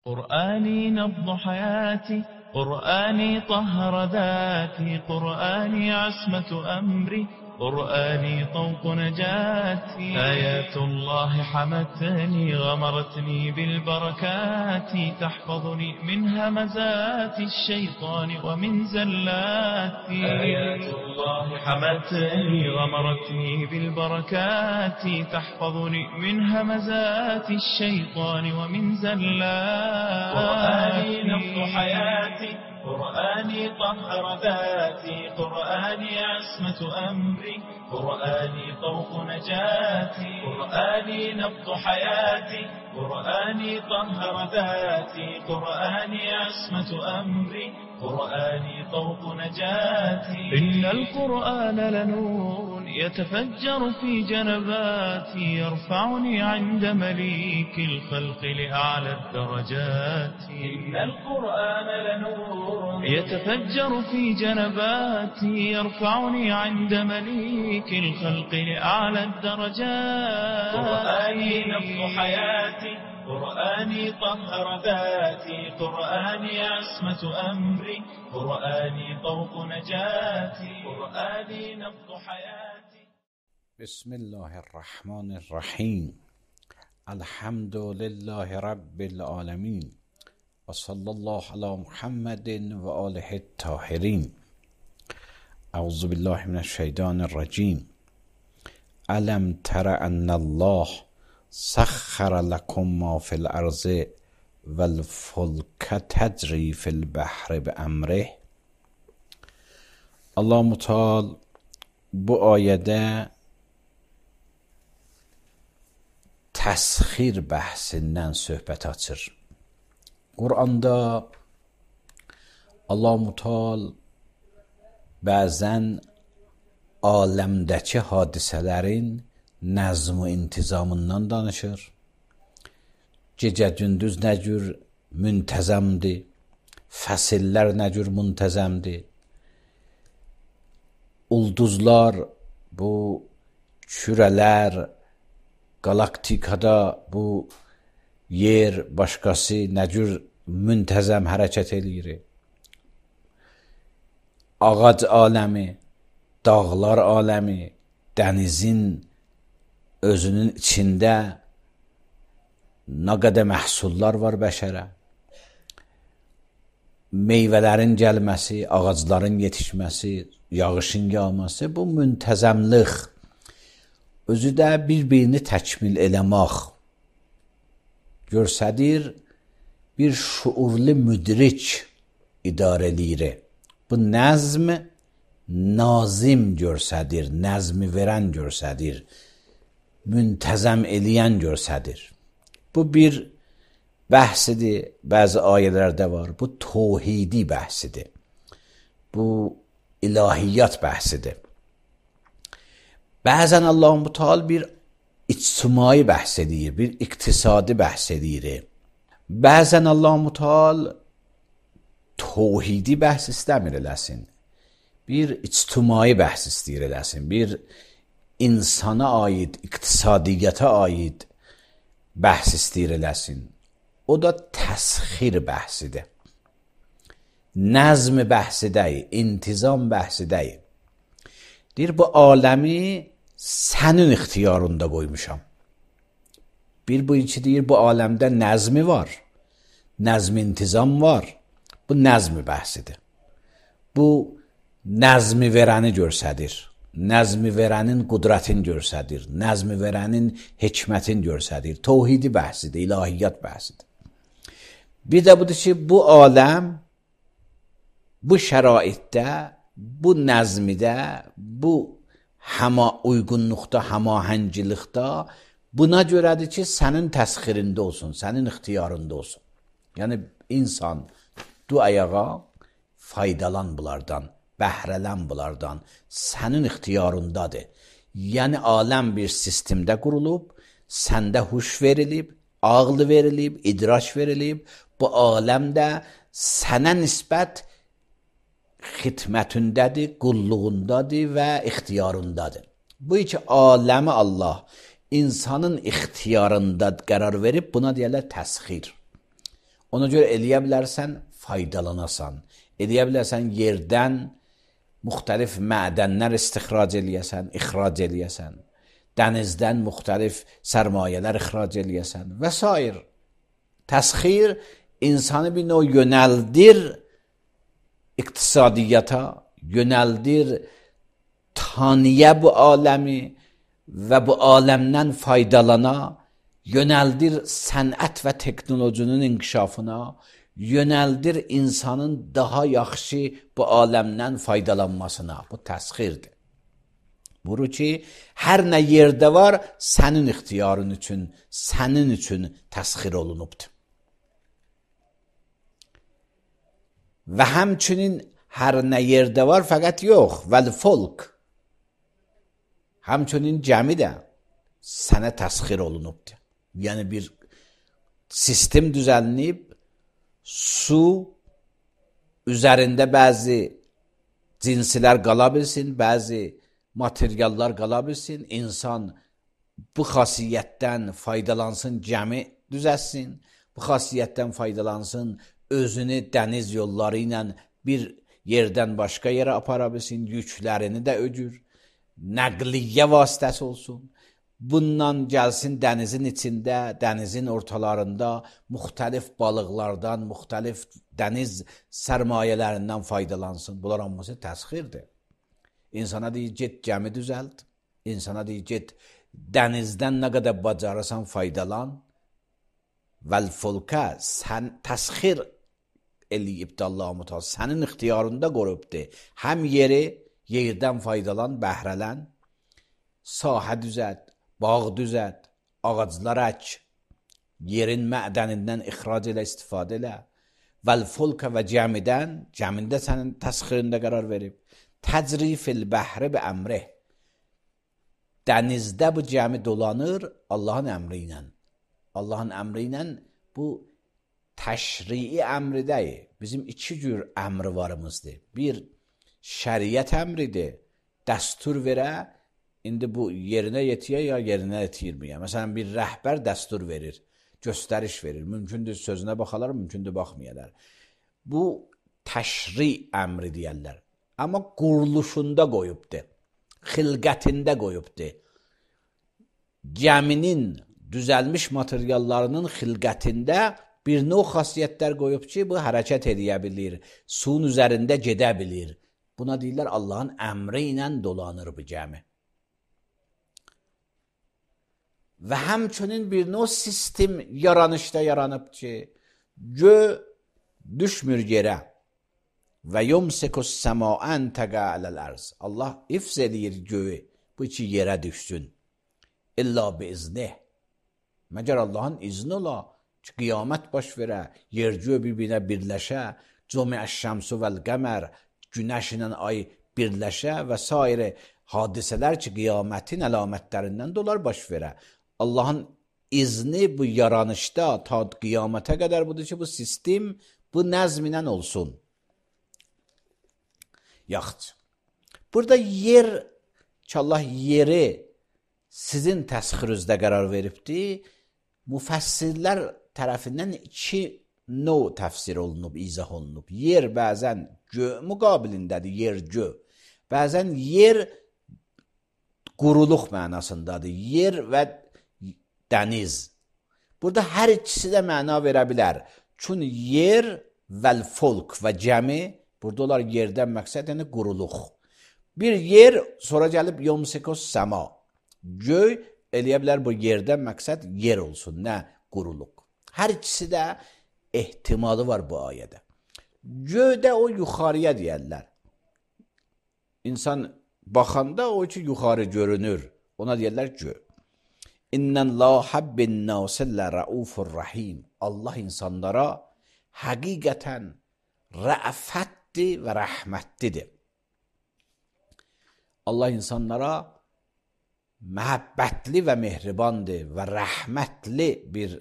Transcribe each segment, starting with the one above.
قرآني نبض حياتي، قرآني طهر ذاتي، قرآني عصمة أمري، قرآني طوق نجاتي. آيات الله حمتني غمرتني بالبركات، تحفظني من همزات الشيطان ومن زلاتي. آيات الله حمتني غمرتني بالبركات، تحفظني من همزات الشيطان ومن زلاتي. قرآني نبض حياتي، قرآني طهر ذاتي، قرآني عصمة أمري، قرآني طوق نجاتي. قرآني نبض حياتي، قرآني طهر ذاتي، قرآني عصمة أمري، قرآني طوق نجاتي. إن القرآن لنور يتفجر في جنباتي، يرفعني عند مليك الخلق لأعلى الدرجات. إن القرآن لنور يتفجر في جنباتي، يرفعني عند مليك الخلق لأعلى الدرجات. قرآني نبض حياتي، قرآني طهر ذاتي، قرآني عصمة أمري، قرآني طوق نجاتي. قرآني نبض حياتي. بسم الله الرحمن الرحیم. الحمد لله رب العالمین و صلی الله علی محمد و آله الطاهرین. اعوذ بالله من الشیطان الرجیم. الم تر ان الله سخر لكم ما في الارض والفلك تجری فی البحر بامره. Allah Muteal bu ayədə təsxir bəhsindən söhbət açır. Quranda Allah Muteal bəzən aləmdəki hadisələrin nəzm və intizamından danışır. Gecə gündüz nə cür müntəzəmdir, fəsillər nə cür müntəzəmdir, ulduzlar, bu kürələr, galaktikada bu yer, başqası nə cür müntəzəm hərəkət eləyir. Ağac aləmi, dağlar aləmi, dənizin özünün içində nə qədər məhsullar var bəşərə. Meyvələrin gəlməsi, ağacların yetişməsi, yağışın yağması, bu müntəzəmlik, özü də bir-birini təkmil eləmək görsədir, bir şuurlu müdrik idarə eləyir. Bu nəzm nazim görsədir, nəzmi verən görsədir, müntəzəm eləyən görsədir. Bu bir bəhsidir, bəzi ayələrdə var. Bu təvhidi bəhsidir. Bu ilahiyyat bəhsidir. Bəzən Allah Muteal bir ictimai bəhs edir, bir iqtisadi bəhs edir. Bəzən Allah Muteal təvhidi bəhs istəmir eləsin. Bir ictimai bəhs istəyir eləsin. Bir insana aid, iqtisadiyyata aid bəhs istəyir eləsin. O da təsxir bəhsidir. Nəzm bəhsidəyik, intizam bəhsidəyik. Deyir, bu aləmi sənin ixtiyarında qoymuşam. Bir bu iki deyir, bu aləmdə nəzmi var, nəzm intizam var. Bu nəzmi bəhsidir. Bu nəzmi verəni görsədir. Nəzmi verənin qudrətin görsədir. Nəzmi verənin hikmətin görsədir. Təvhidi bəhsidir, ilahiyyat bəhsidir. Bir də budur ki, bu aləm, bu şəraitdə, bu nəzmidə, bu uyğunluqda, həmahəngilikdə buna görədir ki, sənin təsxirində olsun, sənin ixtiyarında olsun. Yəni, insan du ayağa faydalan bunlardan, bəhrələn bunlardan, sənin ixtiyarındadır. Yəni, aləm bir sistemdə qurulub, səndə huş verilib, ağıl verilib, idraç verilib, bu aləm də sənə nisbət xidmətindədir, qulluğundadır və ixtiyarındadır. Bu iki aləmi Allah insanın ixtiyarında qərar verib, buna deyərlər təsxir. Ona görə eləyə bilərsən, faydalanasan. Eləyə bilərsən, yerdən müxtəlif mədənlər istixrac eləyəsən, ixrac eləyəsən. Dənizdən müxtəlif sərmayələr ixrac eləyəsən və s. Təsxir insanı bir növ yönəldir iqtisadiyyata, yönəldir tanıya bu aləmi və bu aləmdən faydalana, yönəldir sənət və teknolojinin inkişafına, yönəldir insanın daha yaxşı bu aləmdən faydalanmasına. Bu təsxirdir. Buru ki, hər nə yerdə var, sənin ixtiyarın üçün, sənin üçün təsxir olunubdur. Və həmçinin hər nə yerdə var, fəqət yox, vəl-fulk. Həmçinin cəmi də sənə təsxir olunubdur. Yəni bir sistem düzəlnib, su üzərində bəzi cinsilər qala bilsin, bəzi materiallar qala bilsin, insan bu xasiyyətdən faydalansın, cəmi düzəlsin, bu xasiyyətdən faydalansın, özünü dəniz yolları ilə bir yerdən başqa yerə apara bilsin, yüklərini də öcür, nəqliyyə vasitəsi olsun. Bundan gəlsin dənizin içində, dənizin ortalarında müxtəlif balıqlardan, müxtəlif dəniz sərmayələrindən faydalansın. Bunlar hamısı təsxirdir. İnsana deyir, get gəmi düzəlt. İnsana deyir, get dənizdən nə qədər bacarırsan faydalan. Vəl-fulkə, sən təsxir eləyibdir Allah-u Teala. Sənin ixtiyarında qorubdur. Həm yeri, yerdən faydalan, bəhrələn, sahə düzət, bağ düzət, ağaclar ək, yerin mədənindən ixrac elə, istifadə elə. Vəl-fulkə və cəmidən, cəmində sənin təsxirində qərar verib. Təcrifil bəhri bi əmrih. Dənizdə bu cəmi dolanır Allahın əmri ilə. Allahın əmri ilə bu təşrii əmri deyil. Bizim iki cür əmri varımızdır. Bir, şəriət əmridir. Dəstur verə, indi bu yerinə yetiyə ya yerinə yetirməyə. Məsələn, bir rəhbər dəstur verir, göstəriş verir. Mümkündür sözünə baxalar, mümkündür baxmayalar. Bu təşri əmri deyərlər. Amma quruluşunda qoyubdur, xilqətində qoyubdur. Gəminin düzəlmiş materiallarının xilqətində bir növ xasiyyətlər qoyub ki, bu hərəkət edə bilir, suyun üzərində gedə bilir. Buna deyirlər, Allahın əmri ilə dolanır bu gəmi. Və həmçinin bir növ sistem yaranışda yaranıb ki, gö düşmür yerə. Və yumsikus səmaən təqə aləl-ərz. Allah ifz edir göyü, bu iki yerə düşsün. İlla bi iznih. Məgər Allahın izni ola ki, qiyamət baş verə, yer-göy bir-birinə birləşə, cümə'əş-şəmsu vəl-qəmər, günəş ilə ay birləşə və s. hadisələr ki, qiyamətin əlamətlərindən dolar baş verə. Allahın izni bu yaranışda ta qiyamətə qədər budur ki, bu sistem bu nəzm ilə olsun. Yaxşı. Burada yer ki, Allah yeri sizin təsxirinizdə qərar veribdir, müfəssirlər tərəfindən iki növ təfsir olunub, izah olunub. Yer bəzən gö müqabilindədir, yer-gö. Bəzən yer quruluq mənasındadır, yer və dəniz. Burada hər ikisi də məna verə bilər. Çünki yer vəl-fulk və cəmi, burada olar yerdən məqsəd, yəni quruluq. Bir yer, sonra gəlib yumsikos səma. Göy eləyə bilər bu yerdən məqsəd yer olsun, nə quruluq. Hər ikisi də ehtimalı var bu ayədə. Göydə o yuxarıya deyərlər. İnsan baxanda o ki, yuxarı görünür. Ona deyərlər göy. İnnən la həbbin nasillə rəufur rəhim. Allah insanlara həqiqətən rəfətdir və rəhmətlidir. Allah insanlara məhəbbətli və mehribandır və rəhmətli bir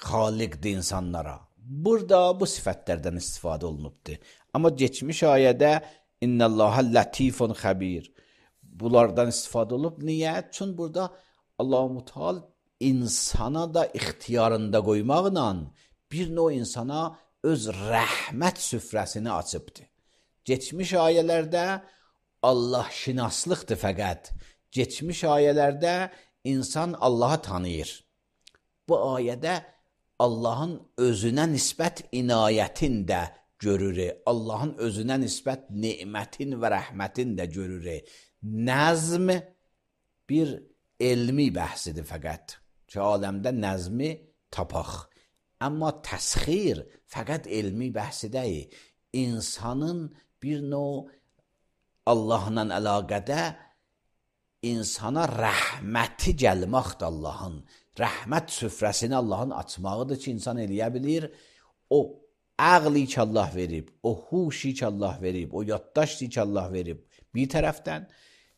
xaliqdir insanlara. Burada bu sifətlərdən istifadə olunubdur. Amma geçmiş ayədə İnnəlləhə lətifun xəbir. Bunlardan istifadə olub. Niyə? Çünki burada Allah-u Teala insana da ixtiyarında qoymaqla bir növ insana öz rəhmət süfrəsini açıbdır. Geçmiş ayələrdə Allah şinaslıqdır fəqət. Geçmiş ayələrdə insan Allahı tanıyır. Bu ayədə Allahın özünə nisbət inayətin də görür. Allahın özünə nisbət nemətin və rəhmətin də görür. Nəzm bir elmi bəhsidir fəqət. Ki aləmdə nəzmi tapaq. Amma təsxir fəqət elmi bəhsi deyil. İnsanın bir növ Allahla əlaqədə insana rəhməti gəlməkdir Allahın. Rəhmət süfrəsini Allahın açmağıdır ki, insan eləyə bilir. O əqli ki Allah verib, o huşi ki Allah verib, o yaddaşti ki Allah verib bir tərəfdən.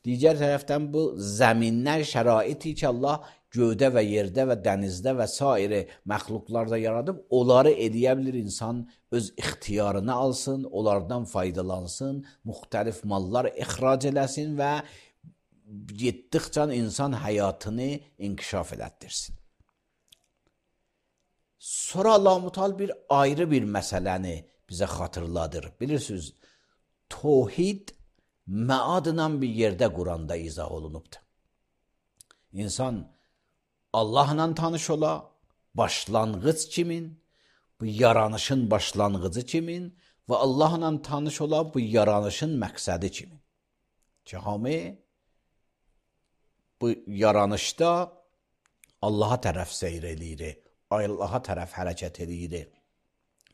Digər tərəfdən bu zəminlər, şəraiti ki Allah göydə və yerdə və dənizdə və sair məxluqlarda yaradıb, onları eləyə bilir insan öz ixtiyarına alsın, onlardan faydalansın, müxtəlif mallar ixrac eləsin və getdikcə insan həyatını inkişaf elətdirsin. Sonra Allah-u Teala bir ayrı bir məsələni bizə xatırladır. Bilirsiniz, tohid məadla bir yerdə Quranda izah olunubdur. İnsan Allahla tanış ola, başlanğıc kimin, bu yaranışın başlanğıcı kimin və Allahla tanış ola, bu yaranışın məqsədi kimin. Ki hamı bu yaranışda Allaha tərəf seyr eləyir, Allaha tərəf hərəkət eləyir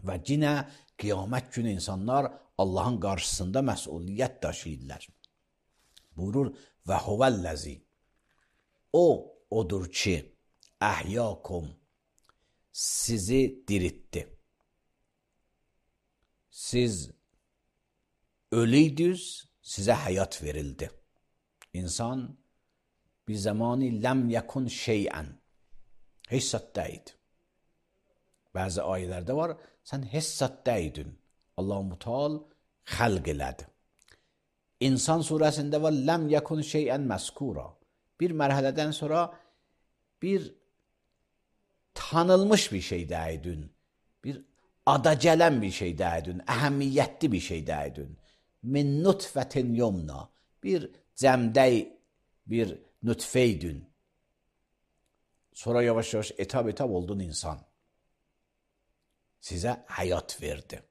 və yenə qiyamət günü insanlar Allahın qarşısında məsuliyyət daşıyırlar. Buyurur, və huvəlləzi, odur ki, əhyəkum, sizi diritti. Siz ölüydünüz, sizə həyat verildi. İnsan bir zamanı ləm yəkun şeyən, heç zat deyildi. Bəzi ayələrdə var, sən heç zat deyildin. Allah-u Teala xəlq elədi. İnsan surəsində var, ləm yəkun şeyən məskura. Bir mərhələdən sonra bir tanınmış bir şey deyildin. Bir ada gələn bir şey deyildin. Əhəmiyyətli bir şey deyildin. Min nutfətin yomna. Bir cəmdəy, bir nütfeydün. Sonra yavaş-yavaş etap oldun insan. Sizə həyat verdi.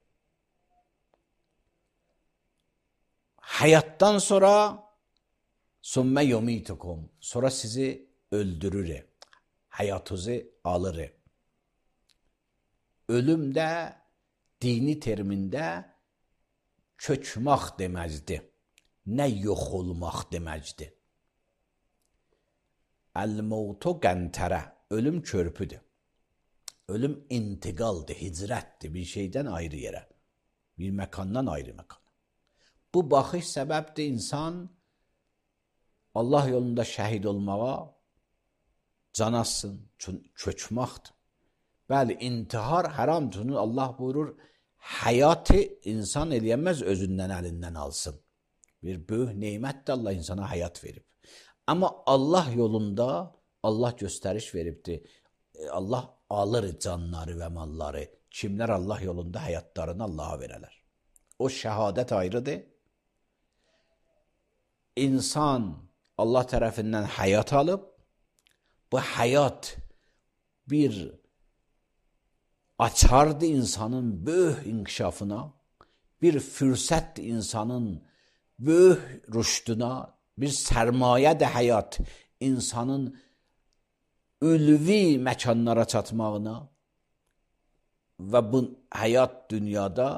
Həyatdan sonra sümmə yumitukum. Sonra sizi öldürür. Həyatınızı alır. Ölüm də dini termində köçmək deməkdir. Nə yox olmaq deməkdir. Əl-mevtu qəntərə. Ölüm körpüdür. Ölüm intiqaldır, hicrətdir bir şeydən ayrı yerə. Bir məkandan ayrı məkana. Bu baxış səbəbdir insan Allah yolunda şəhid olmağa can atsın, köçməkdir. Bəli, intihar haramdır. Allah buyurur, həyatı insan eləyəməz özündən, əlindən alsın. Bir böyük neymətdir Allah insana həyat verib. Amma Allah yolunda Allah göstəriş veribdir. Allah alır canları və malları. Kimlər Allah yolunda həyatlarını Allaha verələr. O şəhadət ayrıdır. İnsan Allah tərəfindən həyat alıb, bu həyat bir açardır insanın böyük inkişafına, bir fürsətdir insanın böyük rüşduna, bir sərmayədir həyat insanın ülvi məkanlara çatmağına və bu həyat dünyada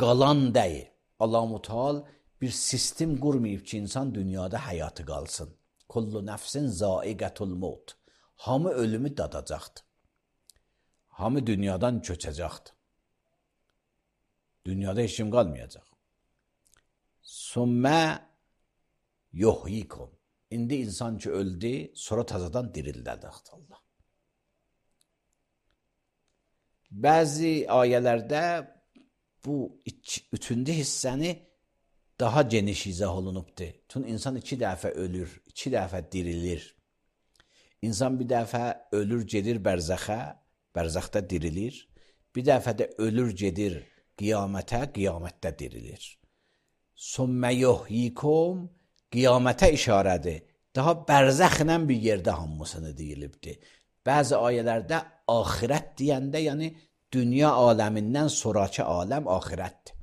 qalan deyil. Allah-u Teala bir sistem qurmayıb ki, insan dünyada həyatı qalsın. Kullu nəfsin zaiqətul maut. Hamı ölümü dadacaqdır. Hamı dünyadan köçəcəkdir. Dünyada heç kim qalmayacaq. Sümmə yuhyikum. İndi insan ki öldü, sonra tazadan dirildəcəkdir Allah. Bəzi ayələrdə bu üçüncü hissəni daha geniş izah olunubdur. Çünki insan 2 dəfə ölür, 2 dəfə dirilir. İnsan bir dəfə ölür, gedir bərzəxə, bərzəxdə dirilir. Bir dəfə də ölür gedir qiyamətə, qiyamətdə dirilir. Sümmə yuhyikum qiyamətə işarədir. Daha bərzəxlə bir yerdə hamısını deyilibdir. Bəzi ayələrdə axirət deyəndə, yəni dünya aləmindən sonraki aləm axirətdir.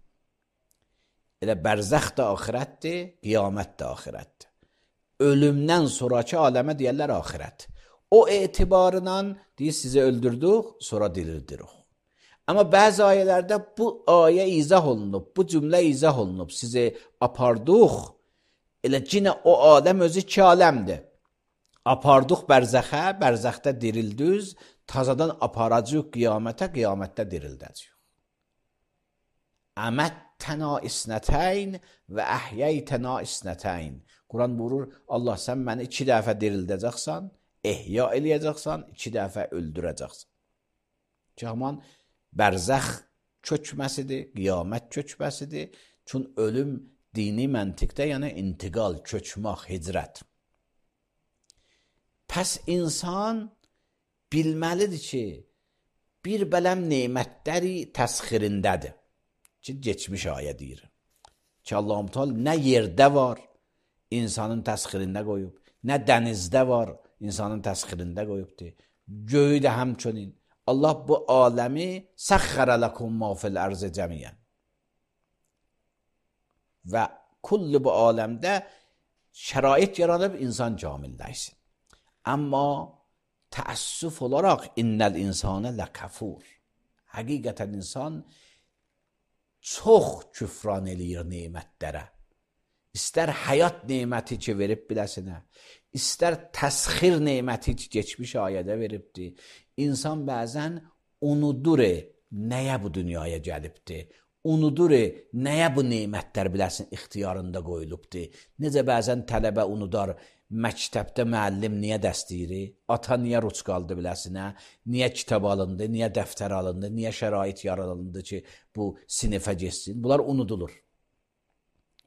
Elə bərzəx də axirətdir, qiyamət də axirətdir. Ölümdən sonraki aləmə deyərlər axirət. O etibarla deyir, sizi öldürdük, sonra dirildirik. Amma bəzi ayələrdə bu ayə izah olunub, bu cümlə izah olunub, sizi apardıq, elə cinə o aləm özü iki aləmdir. Apardıq bərzəxə, bərzəxdə dirildüz, tazadan aparacaq qiyamətə, qiyamətdə dirildəcək. Əməttənə isnətəyn və əhyəytənə isnətəyn. Quran buyurur, Allah sən məni 2 dəfə dirildəcəksən, ehya eləyəcəksən, 2 dəfə öldürəcəksən. Ki, haman bərzəx köçməsidir, qiyamət köçməsidir. Çün ölüm dini məntiqdə, yəni intiqal, köçmək, hicrət. Pəs insan bilməlidir ki, bir bələm nemətləri təsxirindədir. Ki, geçmiş ayə deyir. Ki, Allah-u Teala nə yerdə var, insanın təsxirində qoyub, nə dənizdə var, insanın təsxirində qoyubdur. Göyü də həmçinin. Allah bu aləmi səxxərə ləkum mə fil ərzə cəmiyyən. Və kullu bu aləmdə şərait yaradıb insan kamilləşsin. Amma təəssüf olaraq innəl insanə ləkəfur. Həqiqətən insan çox küfran eləyir nemətlərə. İstər həyat neməti ki, verib biləsinə, istər təsxir neməti ki, geçmiş ayədə veribdir. İnsan bəzən unudur, nəyə bu dünyaya gəlibdir, unudur, nəyə bu nemətlər biləsin ixtiyarında qoyulubdur. Necə bəzən tələbə unudar, məktəbdə müəllim niyə dəstəyir, ata niyə ruç qaldı biləsinə, niyə kitab alındı, niyə dəftər alındı, niyə şərait yaradıldı ki, bu sinifə geçsin. Bunlar unudulur.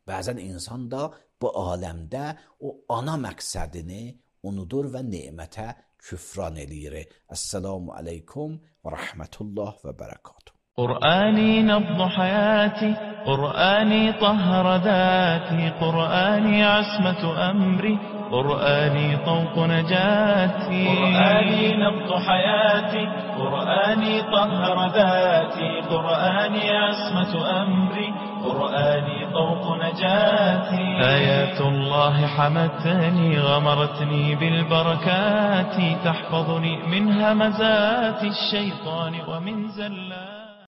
Bəzən insan da bu aləmdə o ana məqsədini unudur və nemətə küfran eləyir. Əssəlamu aleykum və rəhmətullah və bərəkatuhu. قرآني نبض حياتي، قرآني طهر ذاتي، قرآني عصمة أمري، قرآني طوق نجاتي. قرآني نبض حياتي، قرآني طهر ذاتي، قرآني عصمة أمري، قرآني طوق نجاتي. آيات الله حمتني، غمرتني بالبركات، تحفظني من همزات الشيطان ومن زلات